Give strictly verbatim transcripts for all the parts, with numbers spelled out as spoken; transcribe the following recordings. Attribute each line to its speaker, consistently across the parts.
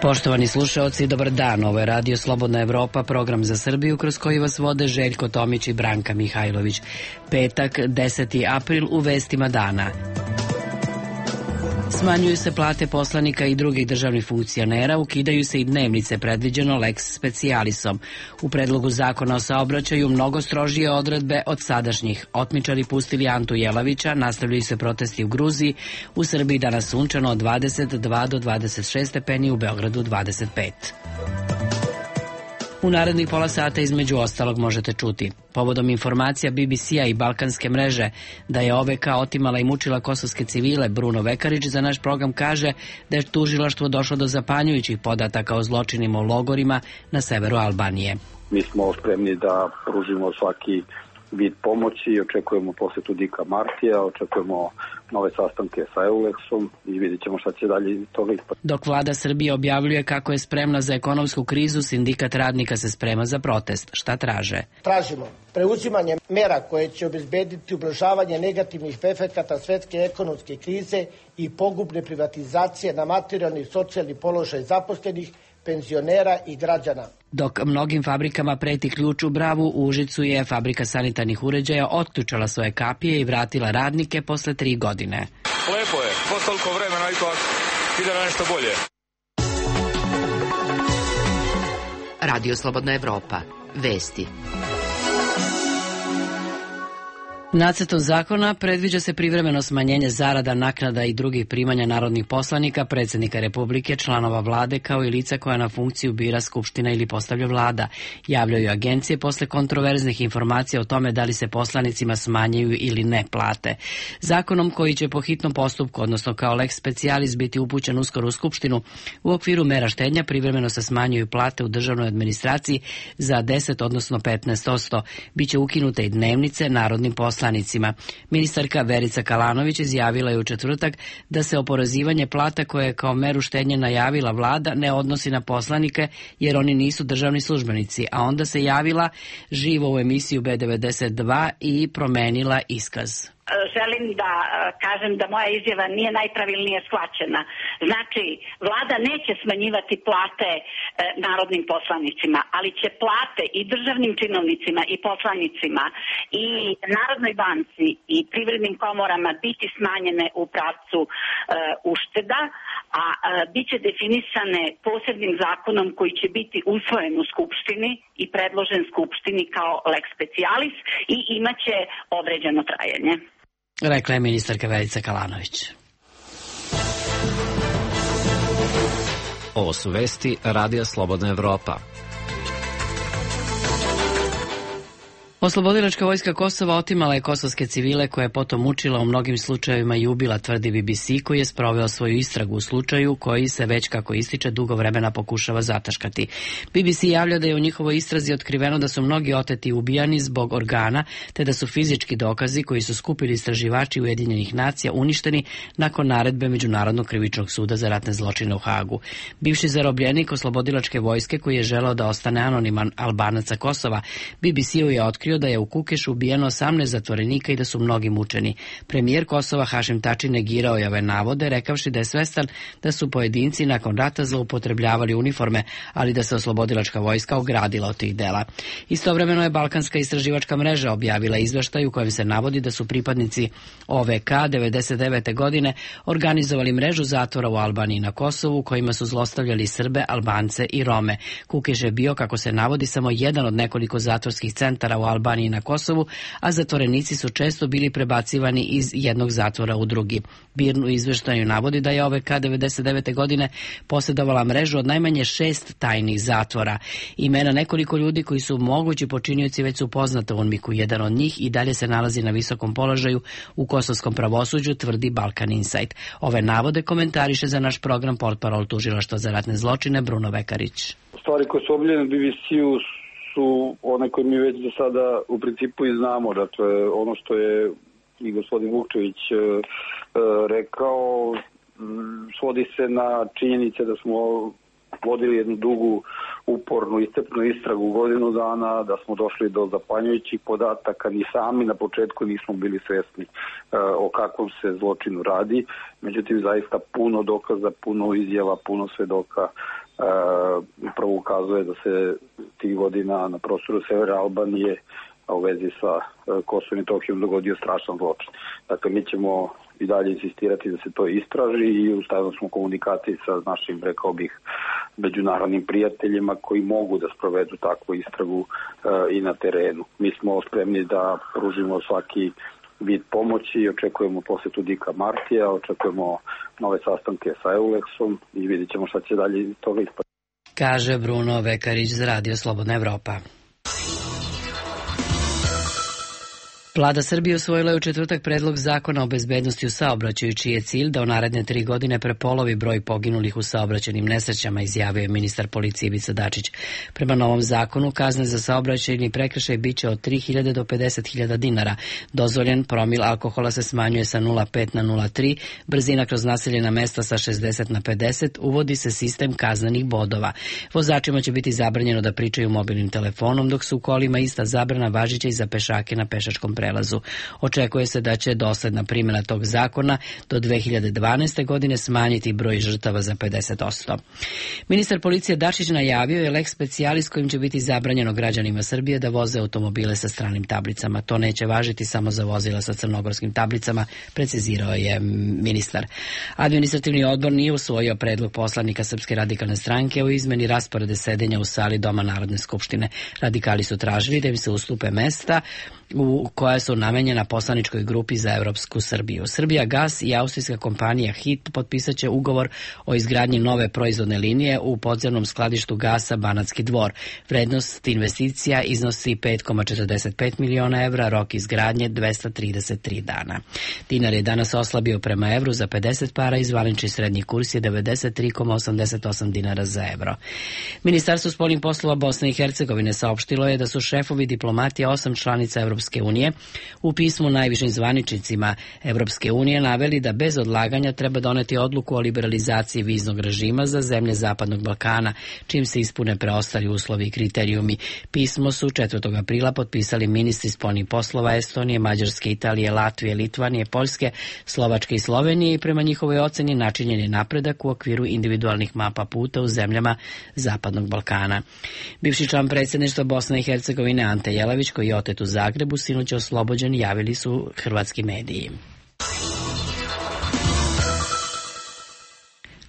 Speaker 1: Poštovani slušaoci, dobar dan. Ovo je Radio Slobodna Evropa, program za Srbiju kroz koji vas vode Željko Tomić i Branka Mihajlović. Petak, deseti april, u vestima dana. Smanjuju se plate poslanika i drugih državnih funkcionera, ukidaju se i dnevnice, predviđeno lex specialisom. U predlogu zakona o saobraćaju mnogo strožije odredbe od sadašnjih. Otmičari pustili Antu Jelavića, nastavljaju se protesti u Gruziji, u Srbiji danas sunčano od dvadeset dva do dvadeset šest stepeni, u Beogradu dvadeset pet. U narednih pola sata između ostalog možete čuti. Povodom informacija B B C-a i Balkanske mreže da je O V K otimala i mučila kosovske civile, Bruno Vekarić za naš program kaže da je tužilaštvo došlo do zapanjujućih podataka o zločinima u logorima na severu Albanije.
Speaker 2: Mi smo spremni da pružimo svaki vid pomoći, očekujemo posetu Dika Martija, očekujemo nove sastanke sa Euleksom i vidjet ćemo šta će dalje iz toga ispati.
Speaker 1: Dok vlada Srbije objavljuje kako je spremna za ekonomsku krizu, sindikat radnika se sprema za protest. Šta traže?
Speaker 3: Tražimo preuzimanje mera koje će obezbediti ublažavanje negativnih efekata svetske ekonomske krize i pogubne privatizacije na materijalni i socijalni položaj zaposlenih, penzionera i građana.
Speaker 1: Dok mnogim fabrikama preti ključ u bravu, u Užicu je fabrika sanitarnih uređaja otključala svoje kapije i vratila radnike posle tri godine.
Speaker 4: Lepo je, posle toliko vremena ipak ide na nešto bolje.
Speaker 5: Radio Slobodna Evropa. Vesti.
Speaker 1: Nacrtom zakona predviđa se privremeno smanjenje zarada, naknada i drugih primanja narodnih poslanika, predsjednika Republike, članova vlade kao i lica koja na funkciju bira Skupština ili postavlja vlada. Javljaju agencije posle kontroverznih informacija o tome da li se poslanicima smanjaju ili ne plate. Zakonom koji će po hitnom postupku, odnosno kao lex specialis, biti upućen uskoro u Skupštinu, u okviru mera štednja privremeno se smanjuju plate u državnoj administraciji za deset, odnosno petnaest posto. Biće ukinute i dnevnice narodnim poslanicima. Ministarka Verica Kalanović izjavila je u četvrtak da se oporezivanje plata koje je kao meru štednje najavila vlada ne odnosi na poslanike jer oni nisu državni službenici, a onda se javila živo u emisiju B devedeset dva i promenila iskaz.
Speaker 6: Želim da kažem da moja izjava nije najpravilnije shvaćena. Znači, vlada neće smanjivati plate e, narodnim poslanicima, ali će plate i državnim činovnicima i poslanicima i Narodnoj banci i privrednim komorama biti smanjene u pravcu e, ušteda, a e, bit će definisane posebnim zakonom koji će biti usvojen u Skupštini i predložen Skupštini kao lex specialis i imaće određeno trajanje.
Speaker 1: Rekla je ministarka Verica Kalanović.
Speaker 7: Ovo su vesti Radija Slobodna Evropa.
Speaker 1: Oslobodilačka vojska Kosova otimala je kosovske civile koje je potom mučila, u mnogim slučajevima i ubila, tvrdi B B C, koji je sproveo svoju istragu u slučaju koji se već, kako ističe, dugo vremena pokušava zataškati. B B C javlja da je u njihovoj istrazi otkriveno da su mnogi oteti ubijani zbog organa, te da su fizički dokazi koji su skupili istraživači Ujedinjenih nacija uništeni nakon naredbe Međunarodnog krivičnog suda za ratne zločine u Hagu. Bivši zarobljenik oslobodilačke vojske koji je želeo da ostane anoniman Albanac sa Kosova, B B C-u je otkrio da je u Kukešu ubijeno osamnaest zatvorenika i da su mnogi mučeni. Premijer Kosova Hašim Tači negirao je ove navode, rekavši da je svestan da su pojedinci nakon rata zloupotrebljavali uniforme, ali da se oslobodilačka vojska ogradila od tih dela. Istovremeno je Balkanska istraživačka mreža objavila izveštaj u kojem se navodi da su pripadnici O V K devedeset devete godine organizovali mrežu zatvora u Albaniji i na Kosovu, kojima su zlostavljali Srbe, Albance i Rome. Kukeš je bio, kako se navodi, samo jedan od nekoliko zatvorskih centara u Albaniji i na Kosovu, a zatvorenici su često bili prebacivani iz jednog zatvora u drugi. Birnu izveštaju navodi da je O V K devedeset devete godine posjedovala mrežu od najmanje šest tajnih zatvora. Imena nekoliko ljudi koji su mogući počinioci već su poznata u UNMIK-u. Jedan od njih i dalje se nalazi na visokom položaju u kosovskom pravosuđu, tvrdi Balkan Insight. Ove navode komentariše za naš program portparol tužilaštva za ratne zločine Bruno Vekarić.
Speaker 2: Stvari koje su objavljene B B C-u su one koje mi već do sada u principu i znamo. Dakle, ono što je i gospodin Vukčević e, e, rekao svodi se na činjenice da smo vodili jednu dugu, upornu, iscrpnu istragu godinu dana, da smo došli do zapanjujućih podataka, ni sami na početku nismo bili svesni e, o kakvom se zločinu radi. Međutim, zaista puno dokaza, puno izjava, puno svedoka upravo ukazuje da se tih godina na prostoru severa Albanije, a u vezi sa Kosovom i Metohijom, dogodio strašan zločin. Dakle, mi ćemo i dalje insistirati da se to istraži i u stalnoj smo komunikaciji sa našim, rekao bih, međunarodnim prijateljima koji mogu da sprovedu takvu istragu i na terenu. Mi smo spremni da pružimo svaki vid pomoći, očekujemo posetu Dika Martija, očekujemo nove sastanke sa Euleksom i vidjet ćemo šta će dalje iz toga ispati.
Speaker 1: Kaže Bruno Vekarić za Radio Slobodna Evropa. Vlada Srbije usvojila je u četvrtak predlog zakona o bezbednosti u saobraćaju, čiji je cilj da u naredne tri godine prepolovi broj poginulih u saobraćajnim nesrećama, izjavio je ministar policije Ivica Dačić. Prema novom zakonu, kazne za saobraćajni prekršaj biće od tri hiljade do pedeset hiljada dinara. Dozvoljen promil alkohola se smanjuje sa nula zarez pet na nula zarez tri, brzina kroz naseljena mesta sa šezdeset na pedeset, uvodi se sistem kaznenih bodova. Vozačima će biti zabranjeno da pričaju mobilnim telefonom, dok su u kolima ista zabrana važića i za pešake na pešačkom prelazu. Očekuje se da će dosledna primjena tog zakona do dve hiljade dvanaeste. godine smanjiti broj žrtava za pedeset posto. Ministar policije Dačić najavio je lex specialis kojim će biti zabranjeno građanima Srbije da voze automobile sa stranim tablicama. To neće važiti samo za vozila sa crnogorskim tablicama, precizirao je ministar. Administrativni odbor nije usvojio predlog poslanika Srpske radikalne stranke o izmeni rasporede sedenja u sali Doma Narodne skupštine. Radikali su tražili da im se ustupe mesta u koja su namenjena poslaničkoj grupi za Evropsku Srbiju. Srbija Gas i austrijska kompanija H I T potpisat će ugovor o izgradnji nove proizvodne linije u podzemnom skladištu gasa Banatski Dvor. Vrednost investicija iznosi pet zarez četrdeset pet miliona evra, rok izgradnje dvesta trideset tri dana. Dinar je danas oslabio prema evru za pedeset para i zvanični srednji kurs je devedeset tri zarez osamdeset osam dinara za evro. Ministarstvo spoljnih poslova Bosne i Hercegovine saopštilo je da su šefovi diplomatija osam članica Evropske unije u pismu najvišim zvaničnicima Evropske unije naveli da bez odlaganja treba doneti odluku o liberalizaciji viznog režima za zemlje Zapadnog Balkana, čim se ispune preostali uslovi i kriterijumi. Pismo su četvrtog aprila potpisali ministri spoljnih poslova Estonije, Mađarske, Italije, Latvije, Litvanije, Poljske, Slovačke i Slovenije i prema njihovoj oceni načinjen je napredak u okviru individualnih mapa puta u zemljama Zapadnog Balkana. Bivši član predsjedništva Bosne i Hercegovine Ante Jelavić, koji je otet u Zagrebu, sinoć oslobođen, javili su hrvatski mediji.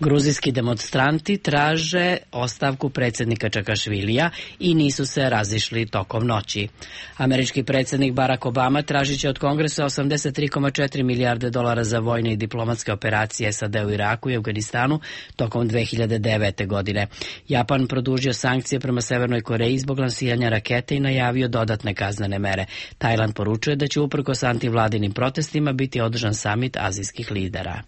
Speaker 1: Gruzijski demonstranti traže ostavku predsjednika Čakašvilija i nisu se razišli tokom noći. Američki predsjednik Barack Obama tražit će od Kongresa osamdeset tri zarez četiri milijarde dolara za vojne i diplomatske operacije S A D u Iraku i Afganistanu tokom dve hiljade devete. godine. Japan produžio sankcije prema Severnoj Koreji zbog lansiranja rakete i najavio dodatne kaznene mere. Tajland poručuje da će uprkos antivladinim protestima biti održan samit azijskih lidera.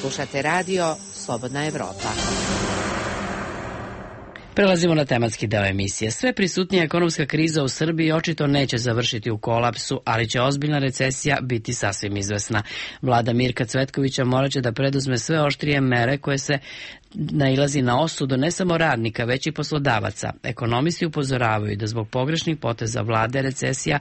Speaker 5: Slušate radio Slobodna Evropa.
Speaker 1: Prelazimo na tematski deo emisije. Sve prisutnija ekonomska kriza u Srbiji očito neće završiti u kolapsu, ali će ozbiljna recesija biti sasvim izvesna. Vlada Mirka Cvetkovića morat će da preduzme sve oštrije mere koje se nailazi na osudu ne samo radnika, već i poslodavaca. Ekonomisti upozoravaju da zbog pogrešnih poteza vlade recesija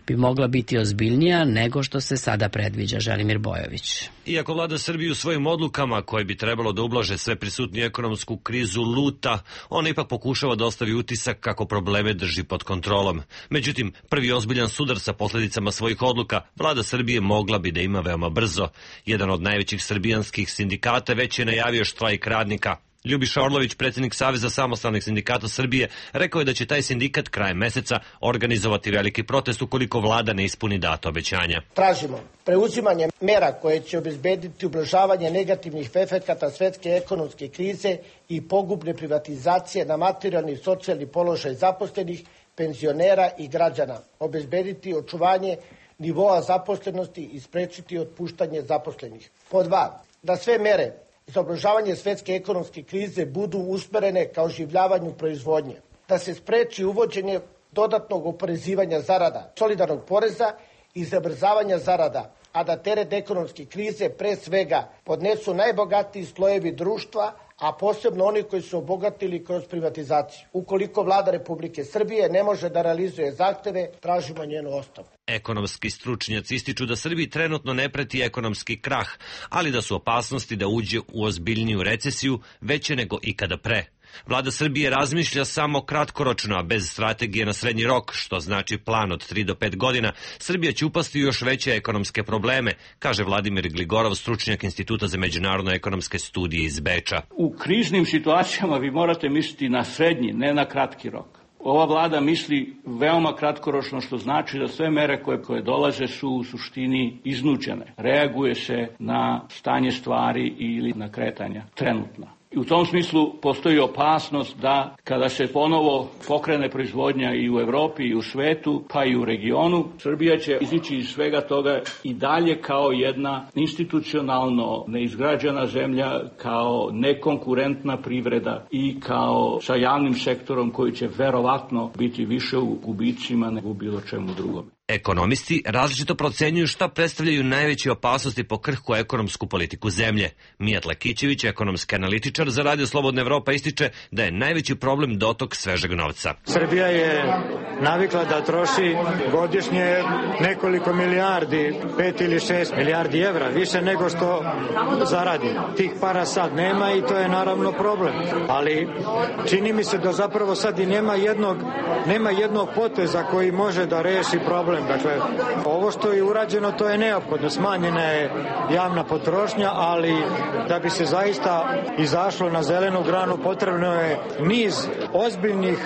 Speaker 1: bi mogla biti ozbiljnija nego što se sada predviđa. Želimir Bojović.
Speaker 8: Iako vlada Srbiju svojim odlukama koje bi trebalo da ublaže sve prisutniju ekonomsku krizu luta, ona ipak pokušava da ostavi utisak kako probleme drži pod kontrolom. Međutim, prvi ozbiljan sudar sa posljedicama svojih odluka vlada Srbije mogla bi da ima veoma brzo. Jedan od najvećih srbijanskih sindikata već je najavio štrajk radnika. Ljubiša Orlović, predsjednik Saveza samostalnih sindikata Srbije, rekao je da će taj sindikat krajem meseca organizovati veliki protest ukoliko vlada ne ispuni data obećanja.
Speaker 3: Tražimo preuzimanje mera koje će obezbediti ublažavanje negativnih efekata svetske ekonomske krize i pogubne privatizacije na materijalni i socijalni položaj zaposlenih, penzionera i građana, obezbediti očuvanje nivoa zaposlenosti i sprečiti otpuštanje zaposlenih. Pod dva, da sve mere za ublažavanje svetske ekonomske krize budu usmerene ka oživljavanju proizvodnje, da se spreči uvođenje dodatnog oporezivanja zarada, solidarnog poreza i zabrzavanja zarada, a da teret ekonomske krize pre svega podnesu najbogatiji slojevi društva, a posebno oni koji su obogatili kroz privatizaciju. Ukoliko vlada Republike Srbije ne može da realizuje zahteve, tražimo njenu ostavku.
Speaker 8: Ekonomski stručnjaci ističu da Srbiji trenutno ne preti ekonomski krah, ali da su opasnosti da uđe u ozbiljniju recesiju veće nego ikada pre. Vlada Srbije razmišlja samo kratkoročno, a bez strategije na srednji rok, što znači plan od tri do pet godina, Srbija će upasti u još veće ekonomske probleme, kaže Vladimir Gligorov, stručnjak Instituta za međunarodno ekonomske studije iz Beča.
Speaker 9: U kriznim situacijama vi morate misliti na srednji, ne na kratki rok. Ova vlada misli veoma kratkoročno, što znači da sve mere koje, koje dolaze su u suštini iznuđene. Reaguje se na stanje stvari ili na kretanja trenutna. I u tom smislu postoji opasnost da kada se ponovo pokrene proizvodnja i u Evropi i u svetu, pa i u regionu, Srbija će izići iz svega toga i dalje kao jedna institucionalno neizgrađena zemlja, kao nekonkurentna privreda i kao sa javnim sektorom koji će verovatno biti više u gubicima nego u bilo čemu drugom.
Speaker 8: Ekonomisti različito procenjuju šta predstavljaju najveće opasnosti po krhku ekonomsku politiku zemlje. Mijat Lekićević, ekonomski analitičar za Radio Slobodna Evropa, ističe da je najveći problem dotok svežeg novca.
Speaker 10: Srbija je navikla da troši godišnje nekoliko milijardi, pet ili šest milijardi evra, više nego što zaradi. Tih para sad nema i to je naravno problem. Ali čini mi se da zapravo sad i nema jednog, nema jednog poteza koji može da reši problem. Dakle, ovo što je urađeno, to je neophodno. Smanjena je javna potrošnja, ali da bi se zaista izašlo na zelenu granu, potrebno je niz ozbiljnih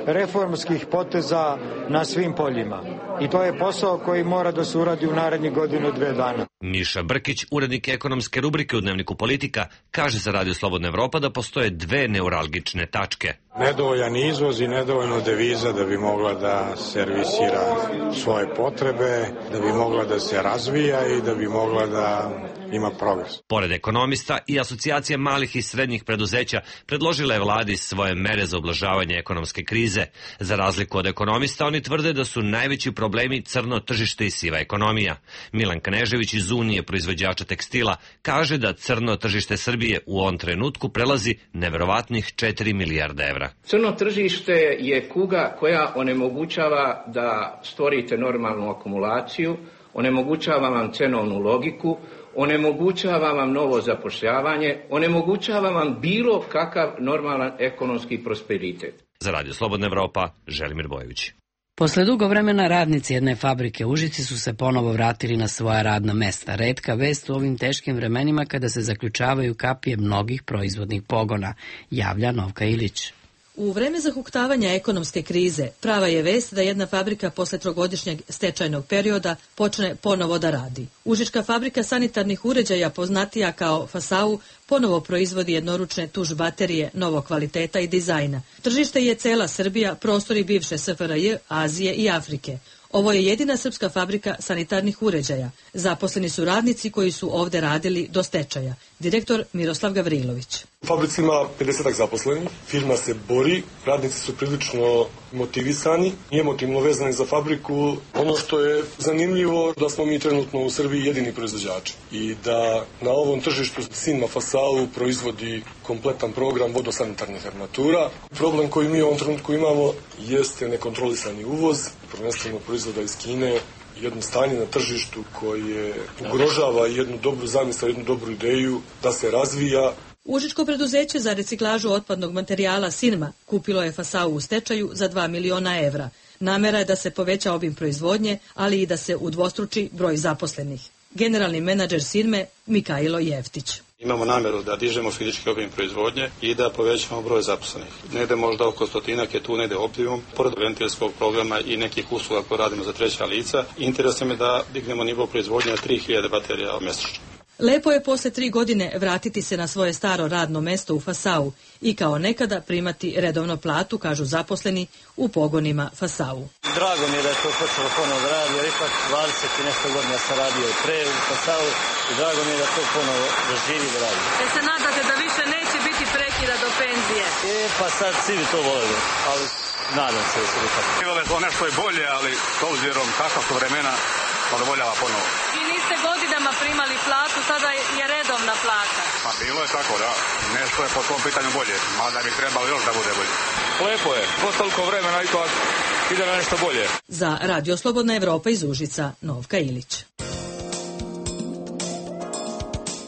Speaker 10: reformskih poteza na svim poljima. I to je posao koji mora da se uradi u narednih godinu, dve dana.
Speaker 8: Miša Brkić, urednik ekonomske rubrike u Dnevniku Politika, kaže za Radio Slobodna Evropa da postoje dve neuralgične tačke.
Speaker 11: Nedovoljan izvoz i nedovoljno deviza da bi mogla da servisira svoje potrebe, da bi mogla da se razvija i da bi mogla da ima progres.
Speaker 8: Pored ekonomista i asocijacija malih i srednjih preduzeća predložila je vladi svoje mere za ublažavanje ekonomske krize. Za razliku od ekonomista, oni tvrde da su najveći problemi crno tržište i siva ekonomija. Milan Knežević iz Unije proizvođača tekstila kaže da crno tržište Srbije u ovom trenutku prelazi neverovatnih četiri milijarde evra.
Speaker 12: Crno tržište je kuga koja onemogućava da stvorite normalnu akumulaciju, onemogućava vam cenovnu logiku, onemogućava vam novo zapošljavanje, onemogućava vam bilo kakav normalan ekonomski prosperitet.
Speaker 8: Za Radio Slobodna Evropa, Želimir Bojević.
Speaker 1: Posle dugo vremena radnici jedne fabrike u Užici su se ponovo vratili na svoja radna mesta. Retka vest u ovim teškim vremenima kada se zaključavaju kapije mnogih proizvodnih pogona, javlja Novka Ilić.
Speaker 13: U vreme zahuktavanja ekonomske krize prava je vest da jedna fabrika posle trogodišnjeg stečajnog perioda počne ponovo da radi. Užička fabrika sanitarnih uređaja, poznatija kao Fasau, ponovo proizvodi jednoručne tuš baterije novog kvaliteta i dizajna. Tržište je cela Srbija, prostori bivše S F R J, Azije i Afrike. Ovo je jedina srpska fabrika sanitarnih uređaja. Zaposleni su radnici koji su ovde radili do stečaja. Direktor Miroslav Gavrilović.
Speaker 14: Fabrica ima pedeset zaposlenih, firma se bori, radnici su prilično motivisani i emotivno vezani za fabriku. Ono što je zanimljivo da smo mi trenutno u Srbiji jedini proizvođači i da na ovom tržištu Sinma Fasau proizvodi kompletan program vodosanitarnih armatura. Problem koji mi u ovom trenutku imamo jeste nekontrolisani uvoz, prvenstveno proizvoda iz Kine, jedno stanje na tržištu koje ugrožava jednu dobru zamisao, jednu dobru ideju da se razvija.
Speaker 13: Užičko preduzeće za reciklažu otpadnog materijala Sinma kupilo je Fasau u stečaju za dva miliona evra. Namera je da se poveća obim proizvodnje, ali i da se udvostruči broj zaposlenih. Generalni menadžer Sinme Mikailo Jeftić.
Speaker 15: Imamo nameru da dižemo fizički obim proizvodnje i da povećamo broj zaposlenih. Negde možda oko stotinak je tu negde optimum, pored ventilskog programa i nekih usluga koje radimo za treća lica. Interes je da dignemo nivo proizvodnje na tri hiljade baterija mesečno.
Speaker 13: Lepo je posle tri godine vratiti se na svoje staro radno mesto u Fasau i kao nekada primati redovno platu, kažu zaposleni u pogonima Fasau.
Speaker 16: Drago mi je da je to počelo ponovo da radi, jer ipak dvadeset i nešto godina sam radio i pre u Fasau i drago mi je da to ponovo da živi da radi.
Speaker 13: E se nadate da više neće biti prekida do penzije?
Speaker 16: E pa sad svi bi to voleli, ali nadam se da se ipak.
Speaker 4: To nešto je bolje, ali s obzirom kakva su vremena,
Speaker 17: zadovoljava ponovo.
Speaker 13: Vi niste godinama primali platu, sada je redovna plata.
Speaker 17: Pa bilo je tako, da. Nešto je po tom pitanju bolje, mada bi trebalo još da bude bolje.
Speaker 4: Lepo je, posle toliko vremena ipak ide na nešto bolje.
Speaker 13: Za Radio Slobodna Evropa iz Užica, Novka Ilić.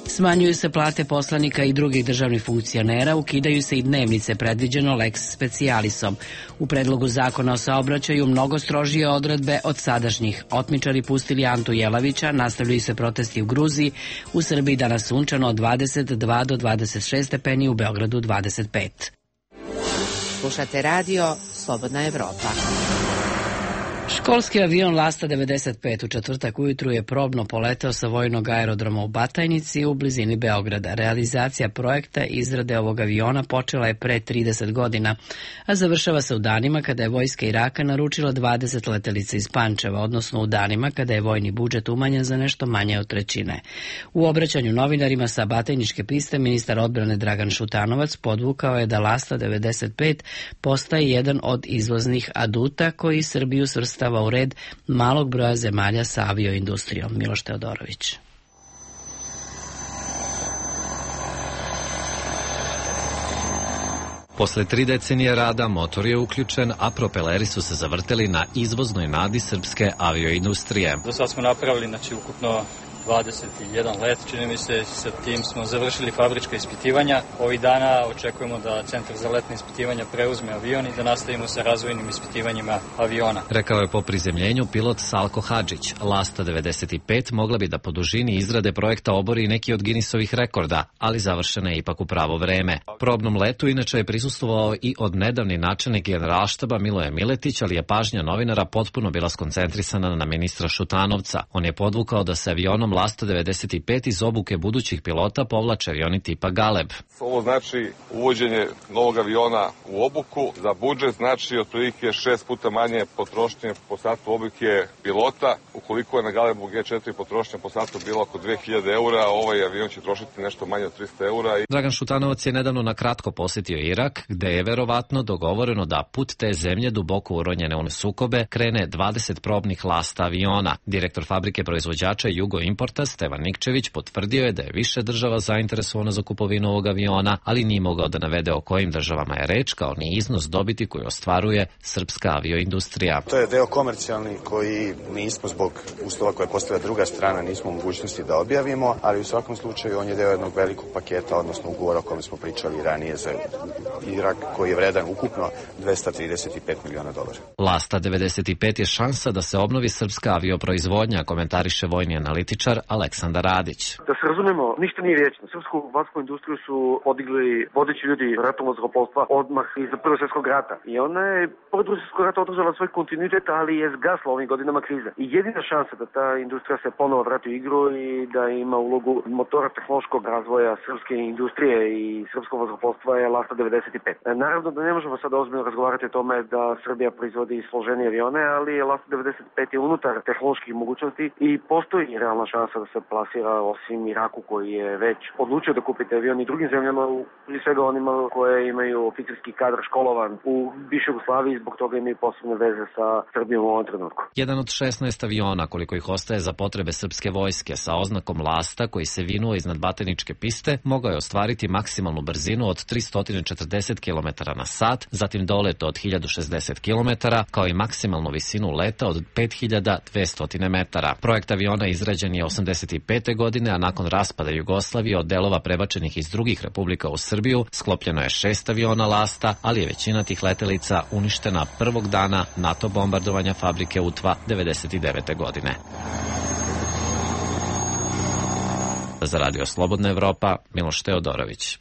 Speaker 1: Smanjuju se plate poslanika i drugih državnih funkcionera, ukidaju se i dnevnice, predviđeno lex specialisom. U predlogu zakona o saobraćaju mnogo strožije odredbe od sadašnjih. Otmičari pustili Antu Jelavića, nastavljaju se protesti u Gruziji, u Srbiji danas sunčano od dvadeset dva do dvadeset šest stepeni, u Beogradu dvadeset pet.
Speaker 5: Slušate radio Slobodna Evropa.
Speaker 1: Školski avion Lasta devedeset pet u četvrtak ujutru je probno poleteo sa vojnog aerodroma u Batajnici u blizini Beograda. Realizacija projekta izrade ovog aviona počela je pre trideset godina, a završava se u danima kada je vojska Iraka naručila dvadeset letelica iz Pančeva, odnosno u danima kada je vojni budžet umanjen za nešto manje od trećine. U obraćanju novinarima sa Batajničke piste ministar odbrane Dragan Šutanovac podvukao je da Lasta devedeset pet postaje jedan od izvoznih aduta koji Srbiju svrstava u red malog broja zemalja sa avioindustrijom. Miloš Teodorović.
Speaker 7: Posle tri decenije rada motor je uključen, a propeleri su se zavrteli na izvoznoj nadi srpske avioindustrije.
Speaker 18: Do sad smo napravili, znači, ukupno dvadeset jedan let, čini mi se, sa tim smo završili fabrička ispitivanja. Ovih dana očekujemo da Centar za letne ispitivanja preuzme avion i da nastavimo sa razvojnim ispitivanjima aviona.
Speaker 7: Rekao je po prizemljenju pilot Salko Hadžić. Lasta devedeset pet mogla bi da po dužini izrade projekta obori neki od Guinnessovih rekorda, ali završena je ipak u pravo vreme. Probnom letu inače je prisustvovao i od nedavni načelnik Generalštaba Miloje Miletić, ali je pažnja novinara potpuno bila skoncentrisana na ministra Šutanovca. On je podvukao da se avionom Lasta devedeset pet iz obuke budućih pilota povlače avioni tipa Galeb.
Speaker 19: Ovo znači uvođenje novog aviona u obuku. Za budžet znači otprilike šest puta manje potrošnje po satu obuke pilota. Ukoliko je na Galebu G četiri potrošnja po satu bila oko dve hiljade eura, ovaj avion će trošiti nešto manje od trista eura.
Speaker 7: Dragan Šutanovac je nedavno na kratko posjetio Irak, gde je verovatno dogovoreno da put te zemlje duboko uronjene u sukobe krene dvadeset probnih Lasta aviona. Direktor fabrike proizvođača Jugo Importa Stevan Nikčević potvrdio je da je više država zainteresovano za kupovinu ovog aviona, ali nije mogao da navede o kojim državama je reč, kao ni iznos dobiti koju ostvaruje srpska avioindustrija.
Speaker 20: To je deo komercijalni koji nismo zbog uslova koje postavlja druga strana nismo u mogućnosti da objavimo, ali u svakom slučaju on je deo jednog velikog paketa, odnosno ugovora o kome smo pričali ranije za Irak, koji je vredan ukupno dvesta trideset pet miliona dolara.
Speaker 7: Lasta devedeset pet je šansa da se obnovi srpska avioproizvodnja, komentariše vojni analitičar Aleksandar Radić.
Speaker 21: Da se razumemo, ništa nije vječno. Srpsku vatsku industriju su podigli vodeći ljudi ratovnog zrakoplovstva odmah iza Prvog svjetskog rata. I ona je, pored Drugog svjetskog rata, održala svoj kontinuitet, ali je zgasla ovim godinama krize. I jedina šansa da ta industrija se ponovo vrati u igru i da ima ulogu motora tehnološkog razvoja srpske industrije i srpskog vazduhoplovstva je Lasta devedeset pet. Naravno da ne možemo sada ozbiljno razgovarati o tome da Srbija proizvodi složenije avione, ali Lasta devedeset pet je unutar tehnoloških mogućnosti i postoji realna šansa da se plasira osim Iraku koji je već odlučio da kupi te avion i drugim zemljama, prije svega onima koje imaju oficirski kadar školovan u bivšoj Jugoslaviji, zbog toga imaju posebne veze sa Srbijom u ovom trenutku.
Speaker 7: Jedan od šesnaest aviona koliko ih ostaje za potrebe srpske vojske sa oznakom Lasta koji se vinuo iznad Batajničke piste mogao je ostvariti maksimalnu brzinu od tristo četrdeset kilometara na sat, zatim dolet od hiljadu šezdeset kilometara, kao i maksimalnu visinu leta od pet hiljada dvesta metara. Projekt aviona izrađen je osamdeset pete godine, a nakon raspada Jugoslavije od delova prebačenih iz drugih republika u Srbiju sklopljeno je šest aviona Lasta, ali je većina tih letelica uništena prvog dana NATO bombardovanja fabrike Utva devedeset devete godine. Za Radio Slobodna Evropa, Miloš Teodorović.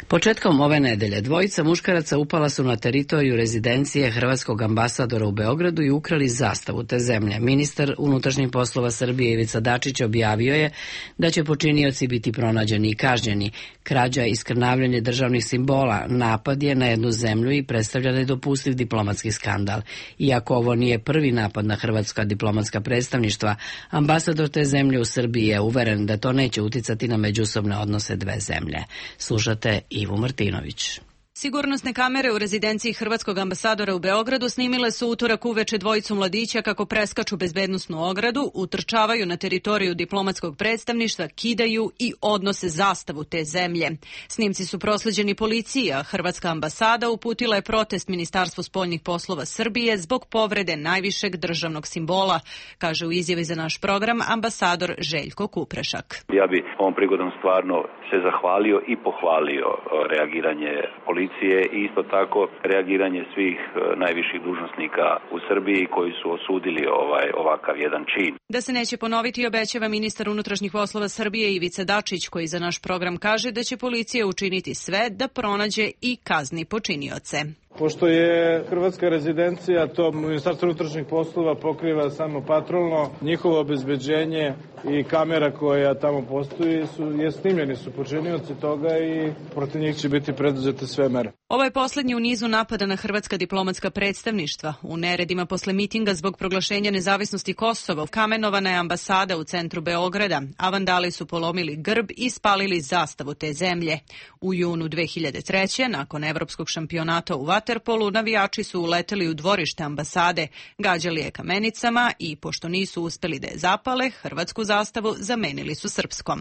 Speaker 1: Početkom ove nedelje dvojica muškaraca upala su na teritoriju rezidencije hrvatskog ambasadora u Beogradu i ukrali zastavu te zemlje. Ministar unutrašnjih poslova Srbije Ivica Dačić objavio je da će počinioci biti pronađeni i kažnjeni. Krađa i skrnavljanje državnih simbola napad je na jednu zemlju i predstavlja nedopustiv diplomatski skandal. Iako ovo nije prvi napad na hrvatska diplomatska predstavništva, ambasador te zemlje u Srbiji je uveren da to neće uticati na međusobne odnose dve zemlje. Slušate Ivu Martinović.
Speaker 6: Sigurnosne kamere u rezidenciji hrvatskog ambasadora u Beogradu snimile su utorak uveče dvojicu mladića kako preskaču bezbednosnu ogradu, utrčavaju na teritoriju diplomatskog predstavništva, kidaju i odnose zastavu te zemlje. Snimci su prosleđeni policiji, a hrvatska ambasada uputila je protest Ministarstvu spoljnih poslova Srbije zbog povrede najvišeg državnog simbola, kaže u izjavi za naš program ambasador Željko Kuprešak.
Speaker 22: Ja bi ovom prigodom stvarno se zahvalio i pohvalio reagiranje policije i isto tako reagiranje svih najviših dužnosnika u Srbiji koji su osudili ovaj ovakav jedan čin.
Speaker 6: Da se neće ponoviti, obećava ministar unutrašnjih poslova Srbije Ivica Dačić, koji za naš program kaže da će policija učiniti sve da pronađe i kazni počinioce.
Speaker 23: Pošto je hrvatska rezidencija, to Ministarstvo unutrašnjih poslova pokriva samo patrolno, njihovo obezbeđenje i kamera koja tamo postoji su, je snimljeni su počinioci toga i protiv njih će biti preduzete sve mere.
Speaker 6: Ovo je poslednji u nizu napada na hrvatska diplomatska predstavništva. U neredima posle mitinga zbog proglašenja nezavisnosti Kosova kamenovana je ambasada u centru Beograda, a vandali su polomili grb i spalili zastavu te zemlje. U junu dve hiljade treće. nakon evropskog šampionata u vaterpolu, navijači su uleteli u dvorište ambasade, gađali je kamenicama i, pošto nisu uspeli da je zapale, hrvatsku zastavu zamenili su srpskom.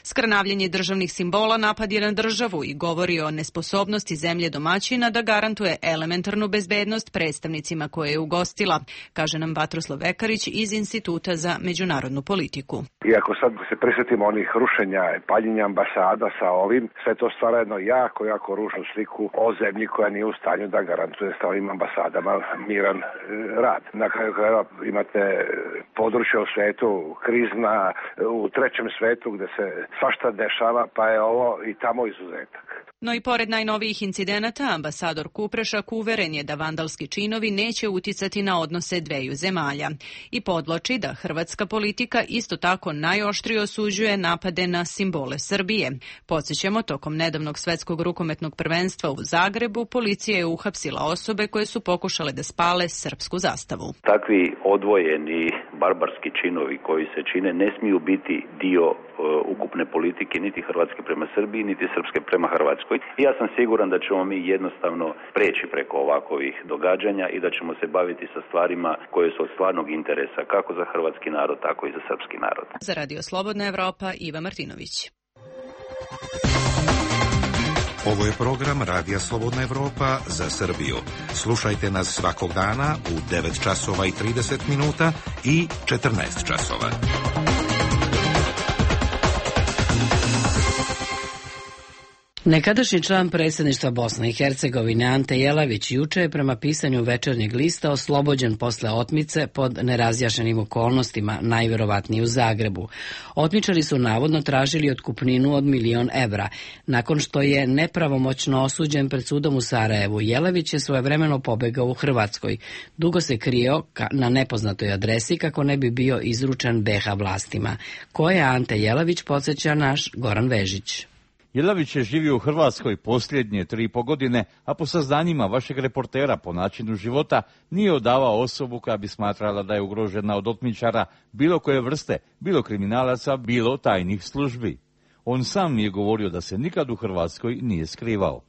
Speaker 6: Skrnavljenje državnih simbola napad je na državu i govori o nesposobnosti zemlje domaćina da garantuje elementarnu bezbednost predstavnicima koje je ugostila, kaže nam Vatroslav Vekarić iz Instituta za međunarodnu politiku.
Speaker 24: Iako sad se prisjetimo onih rušenja i paljenja ambasada sa ovim, sve to stvara jedno jako, jako ružnu sliku o zemlji koja nije u stanju da garantuje sa ovim ambasadama miran e, rad. Na kraju krajeva imate područje u svetu, krizna, u trećem svetu gde se svašta dešava, pa je ovo i tamo izuzetak.
Speaker 6: No i pored najnovijih incidenata, ambasador Kuprešak uveren je da vandalski činovi neće uticati na odnose dveju zemalja i podvlači da hrvatska politika isto tako najoštrije osuđuje napade na simbole Srbije. Podsjećamo, tokom nedavnog svetskog rukometnog prvenstva u Zagrebu, policija je uhapsila osobe koje su pokušale da spale srpsku zastavu.
Speaker 22: Takvi odvojeni barbarski činovi koji se čine ne smiju biti dio uh, ukupne politike niti Hrvatske prema Srbiji, niti Srpske prema Hrvatskoj. I ja sam siguran da ćemo mi jednostavno preći preko ovakvih događanja i da ćemo se baviti sa stvarima koje su od stvarnog interesa kako za hrvatski narod, tako i za srpski narod.
Speaker 6: Za Radio Slobodna Evropa, Iva Martinović.
Speaker 25: Ovo je program Radija Slobodna Evropa za Srbiju. Slušajte nas svakog dana u devet časova i trideset minuta i četrnaest časova.
Speaker 1: Nekadašnji član predsjedništva Bosne i Hercegovine Ante Jelavić juče je prema pisanju Večernjeg lista oslobođen posle otmice pod nerazjašnjenim okolnostima, najverovatnije u Zagrebu. Otmičari su navodno tražili otkupninu od milion evra. Nakon što je nepravomoćno osuđen pred sudom u Sarajevu, Jelavić je svojevremeno pobegao u Hrvatskoj. Dugo se krio na nepoznatoj adresi kako ne bi bio izručen be ha vlastima. Ko je Ante Jelavić, podsjeća naš Goran Vežić.
Speaker 26: Jelavić je živio u Hrvatskoj posljednje tri i po godine, a po saznanjima vašeg reportera po načinu života nije odavao osobu koja bi smatrala da je ugrožena od otmičara bilo koje vrste, bilo kriminalaca, bilo tajnih službi. On sam mi je govorio da se nikad u Hrvatskoj nije skrivao.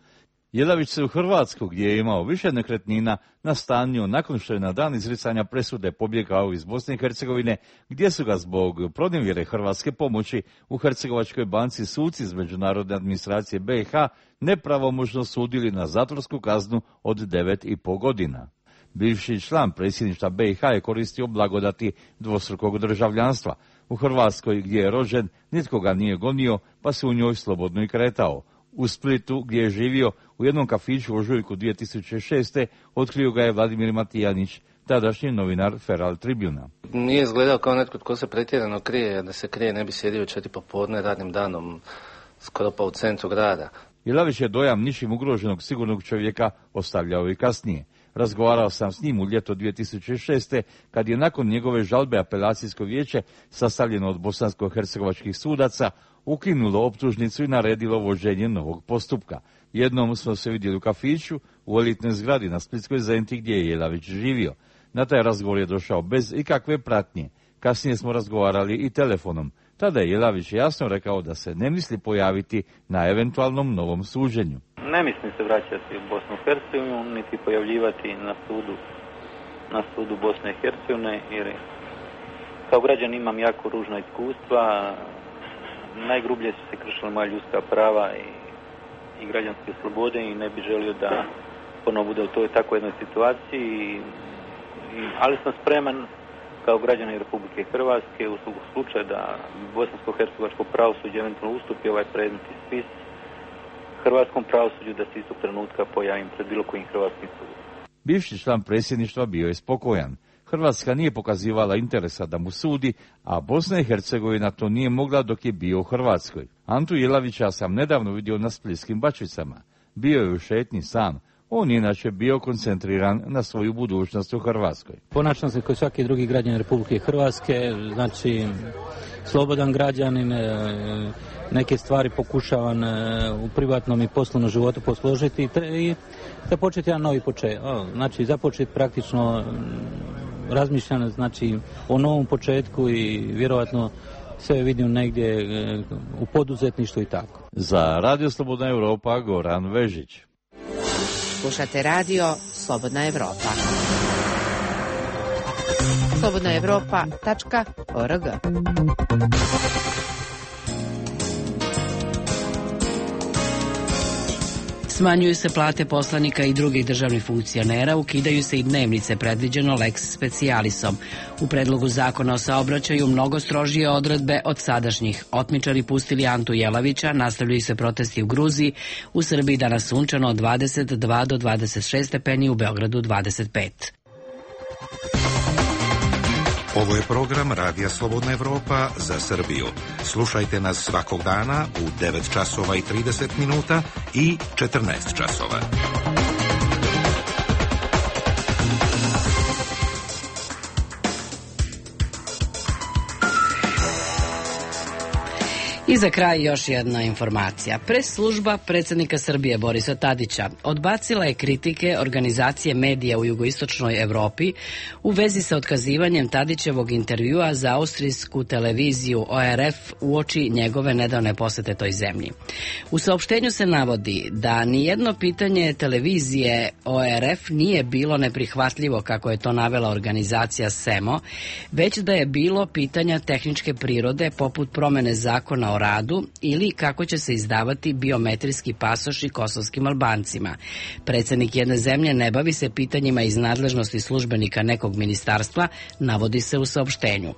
Speaker 26: Jelavić se u Hrvatsku, gdje je imao više nekretnina, nastanio nakon što je na dan izricanja presude pobjegao iz Bosne i Hercegovine, gdje su ga zbog pronevjere hrvatske pomoći u Hercegovačkoj banci suci iz međunarodne administracije be ha nepravomoćno sudili na zatvorsku kaznu od devet i po godina. Bivši član predsjedništva be ha je koristio blagodati dvostrukog državljanstva. U Hrvatskoj, gdje je rođen, nitko ga nije gonio, pa se u njoj slobodno i kretao. U Splitu, gdje je živio, u jednom kafiću u ožujku dvije tisuće šeste. otkrio ga je Vladimir Matijanić, tadašnji novinar Feral Tribuna.
Speaker 27: Nije izgledao kao netko tko se pretjerano krije, da se krije ne bi sjedio četiri popodne radnim danom, skoro pa u centru grada.
Speaker 26: Jelavić je dojam ničim ugroženog sigurnog čovjeka ostavljao i kasnije. Razgovarao sam s njim u ljeto dvije tisuće šeste. kad je nakon njegove žalbe apelacijsko vijeće, sastavljeno od bosansko-hercegovačkih sudaca, ukinulo optužnicu i naredilo vođenje novog postupka. Jednom smo se vidjeli u kafiću u elitnoj zgradi na Splitskoj Zenti gdje je Jelavić živio. Na taj razgovor je došao bez ikakve pratnje. Kasnije smo razgovarali i telefonom. Tada je Jelavić jasno rekao da se ne misli pojaviti na eventualnom novom suđenju.
Speaker 2: Ne mislim se vraćati u Bosnu i Hercegovinu, niti pojavljivati na sudu, na sudu Bosne i Hercegovine, jer kao građan imam jako ružna iskustva. Najgrublje su se kršila moja ljudska prava i, i građanske slobode i ne bi želio da ponovo bude u toj tako jednoj situaciji. I, ali sam spreman kao građanin Republike Hrvatske u slučaju da bosansko-hercegovačko pravosuđe eventualno ustupi ovaj predmetni spis hrvatskom pravosuđu, da se istog trenutka pojavim pred bilo kojim hrvatskim sudom.
Speaker 26: Bivši član predsjedništva bio je spokojan. Hrvatska nije pokazivala interesa da mu sudi, a Bosna i Hercegovina to nije mogla dok je bio u Hrvatskoj. Antu Jelavića sam nedavno vidio na Splitskim Bačvicama. Bio je u šetnji sam. On je inače bio koncentriran na svoju budućnost u Hrvatskoj.
Speaker 3: Ponašam se kao svaki drugi građanin Republike Hrvatske, znači slobodan građanin, neke stvari pokušavam u privatnom i poslovnom životu posložiti i da početi jedan novi početak. Znači započeti praktično razmišljam znači o novom početku i vjerojatno sve vidim negdje u poduzetništvu i tako.
Speaker 26: Za Radio Slobodna Evropa Goran Vežić.
Speaker 5: Slušate radio Slobodna Evropa. slobodna evropa tačka org.
Speaker 1: Smanjuju se plate poslanika i drugih državnih funkcionera, ukidaju se i dnevnice predviđeno lex specialisom. U predlogu zakona o saobraćaju mnogo strožije odredbe od sadašnjih. Otmičari pustili Antu Jelavića, nastavljaju se protesti u Gruziji, u Srbiji danas sunčano od dvadeset dva do dvadeset šest stepeni, u Beogradu dvadeset pet.
Speaker 25: Ovo je program Radija Slobodna Evropa za Srbiju. Slušajte nas svakog dana u devet časova i trideset minuta i četrnaest časova.
Speaker 1: I za kraj još jedna informacija. Pres služba predsjednika Srbije Borisa Tadića odbacila je kritike organizacije medija u jugoistočnoj Evropi u vezi sa otkazivanjem Tadićevog intervjua za austrijsku televiziju O R F uoči njegove nedavne posete toj zemlji. U saopštenju se navodi da nijedno pitanje televizije O R F nije bilo neprihvatljivo, kako je to navela organizacija SEMO, već da je bilo pitanja tehničke prirode poput promene zakona o radu ili kako će se izdavati biometrijski pasoši kosovskim Albancima. Predsjednik jedne zemlje ne bavi se pitanjima iz nadležnosti službenika nekog ministarstva, navodi se u saopštenju.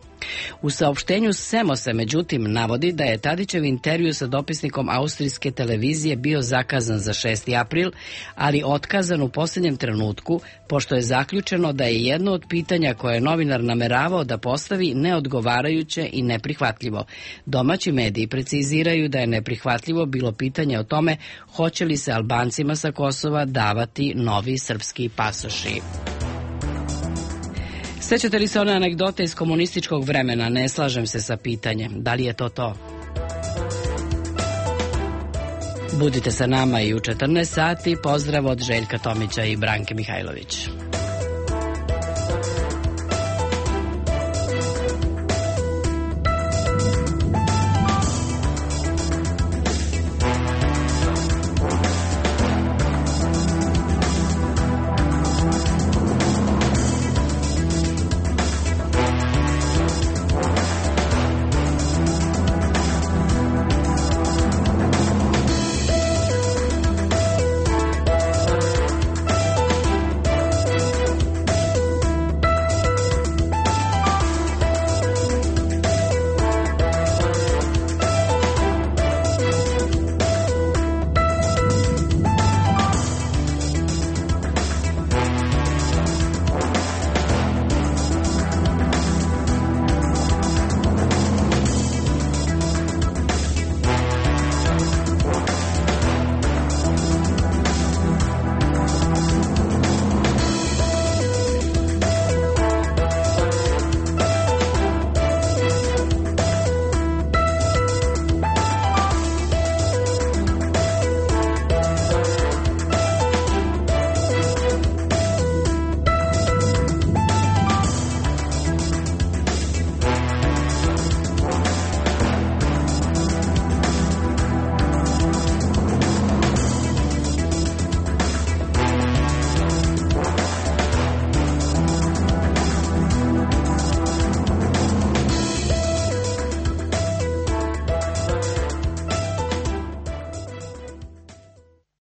Speaker 1: U saopštenju SEMO se međutim navodi da je Tadićev intervju sa dopisnikom austrijske televizije bio zakazan za šesti april, ali otkazan u posljednjem trenutku, pošto je zaključeno da je jedno od pitanja koje je novinar nameravao da postavi neodgovarajuće i neprihvatljivo. Domaći mediji preciziraju da je neprihvatljivo bilo pitanje o tome hoće li se Albancima sa Kosova davati novi srpski pasoši. Sećate li se one anegdote iz komunističkog vremena? Ne slažem se sa pitanjem. Da li je to to? Budite sa nama i u četrnaest sati. Pozdrav od Željka Tomića i Branke Mihajlović.